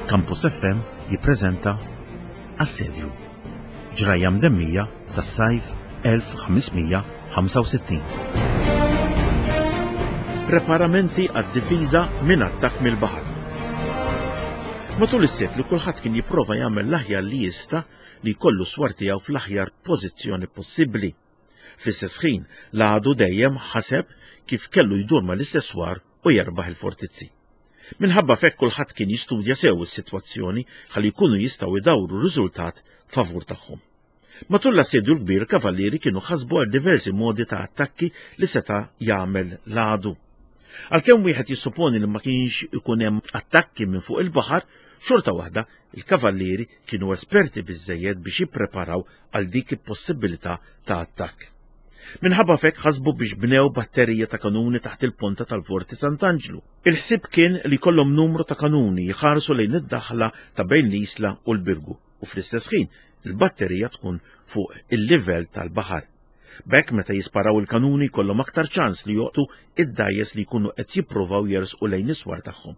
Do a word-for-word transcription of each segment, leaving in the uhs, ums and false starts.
Campus F M jippreżenta Assedju, ġrajja mdemmija tas-sajf elf ħames mija ħamsa u sittin. Preparamenti għad-difiża minn attakk mill-baħar. Matul is-seklu kulħadd kien jipprova jagħmel l-aħjar li jista' li jkollu swar tiegħu fl-aħjar pożizzjoni possibbli. Fl-istess ħin, l-għadu dejjem ħaseb kif kellu jdur mal-istess swar u jerbaħ il-fortizzi. Minħabba fekk kulħadd kien jistudja sew is-sitwazzjoni ħalli jkunu jistgħu jdawru riżultat favur tagħhom. Matul l-assedju l-kbir, kavallieri kienu ħasbu għal diversi modi ta' attakki li seta' jagħmel l-għadu. Għalkemm wieħed jissuponi li ma kienx ikun hemm attakki minn fuq il-baħar, xorta waħda il-kavallieri kienu esperti biżżejjed biex jippreparaw għal dik il-possibilità ta' attakk. Minħabba fekk ħasbu biex bnew batterija ta' kanuni taħt il-ponta tal-Forti Sant'Anġlu. Il-ħsieb kien li kollhom numru ta' kanuni jħarsu lejn id-daħla ta' bejn l-Isla u l-Birgu u fl-istess ħin il-batterija tkun fuq il-livell tal-baħar. B'hekk meta jisparaw il-kanuni jkollhom aktar ċans li joqtu id-dgħajjes li jkunu qed jippruvaw jersqu lejn is-swar tagħhom.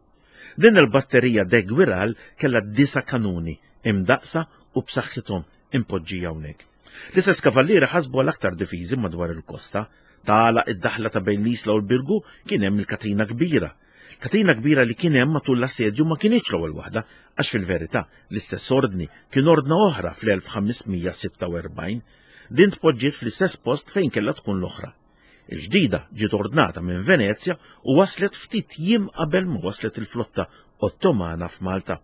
Din il-batterija de Guiral kellha disa' kanuni imdaqsa u b'saħħithom impoġġija hawnhekk. L-istess kavallieri ħasbu għal aktar difiżi madwar il-kosta. Tala id-daħla ta' bejn l-Isla u l-Birgu kien hemm il-katina kbira. Katina kbira li kien hemm matul l-assedju ma kinitx l-ewwel waħda, għax fil-verità l-istess ordni kien ordna oħra fl-elf ħames mija sitta u erbgħin. Din tpoġġiet fl-istess post fejn kellha tkun l-oħra. Il-ġdida ġiet ordnata minn Venezja u waslet ftit jiem qabel ma waslet il-flotta Ottomana f'Malta.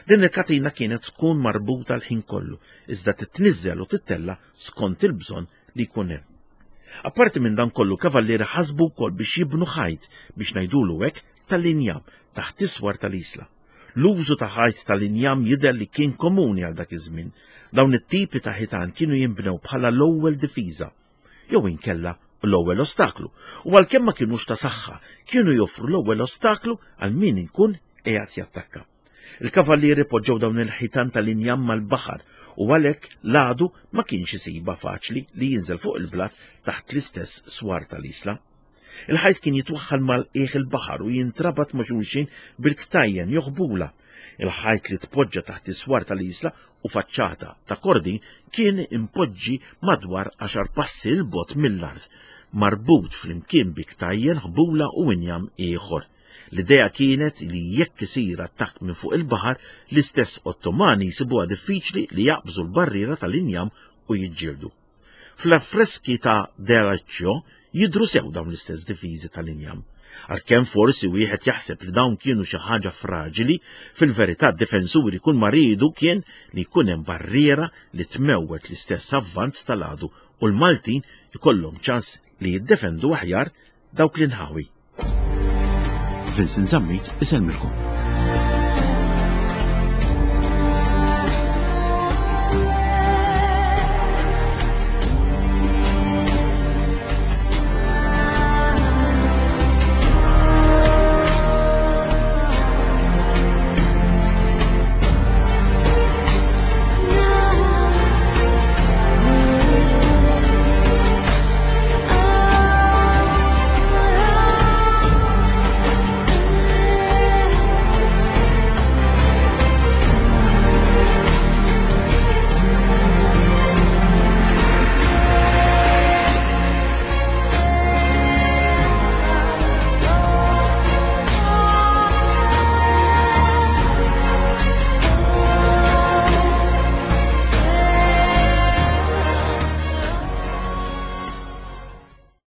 Din il-katina kienet tkun marbuta l-ħin kollu, iżda titniżżel u tittella skont il-bżonn li jkun hemm. Apparti minn dan kollu, kavallieri ħasbu wkoll biex jibnu ħajt biex ngħidulu hekk tal-injam taħt iswar tal-isla. L-użu ta' ħajt tal-injam jidher li kien komuni għal dak iż-żmien. Dawn it-tipi ta' ħitan kienu jinbnew bħala l-ewwel difiża, jew inkella l-ewwel ostaklu, u għalkemm ma kinux ta' saħħa, kienu joffru l-ewwel ostaklu għal min ikun qiegħed jattakka. Il-kavallieri poġġew dawn il-ħitan tal-injam mal-baħar u għalhekk l-għadu ma kienx isibha faċli li jinżel fuq il-blat taħt l-istess swar tal-isla. Il-ħajt kien jitwaħħal mal-qiegħ il-baħar u jintrabat ma' xulxin bil-ktajjen joħbula. Il-ħajt li tpoġġa taħt is-swar tal-isla u faċċata ta' kordin kien impoġġi madwar għaxar passi 'l bogħod mill-art, marbut flimkien bi ktajjen, ħbula u injam ieħor. L-idea kienet li jekk isir attakk minn fuq il-baħar, l-istess Ottomani jsibuha diffiċli li jaqbżu l-barriera tal-injam u jiġġieldu. Fl-affreski ta' Deraccio jidhru sew dawn l-istess difiżi tal-injam. Għalkemm forsi wieħed jaħseb li dawn kienu xi ħaġa fraġili, fil-verità d-difensuri kull ma riedu kien li jkun hemm barriera li tmewwet l-istess avvanz tal-għadu u l-Maltin ikollhom ċans li jiddefendu aħjar dawk l-inħawi. Vincent Zammit isellmilkom.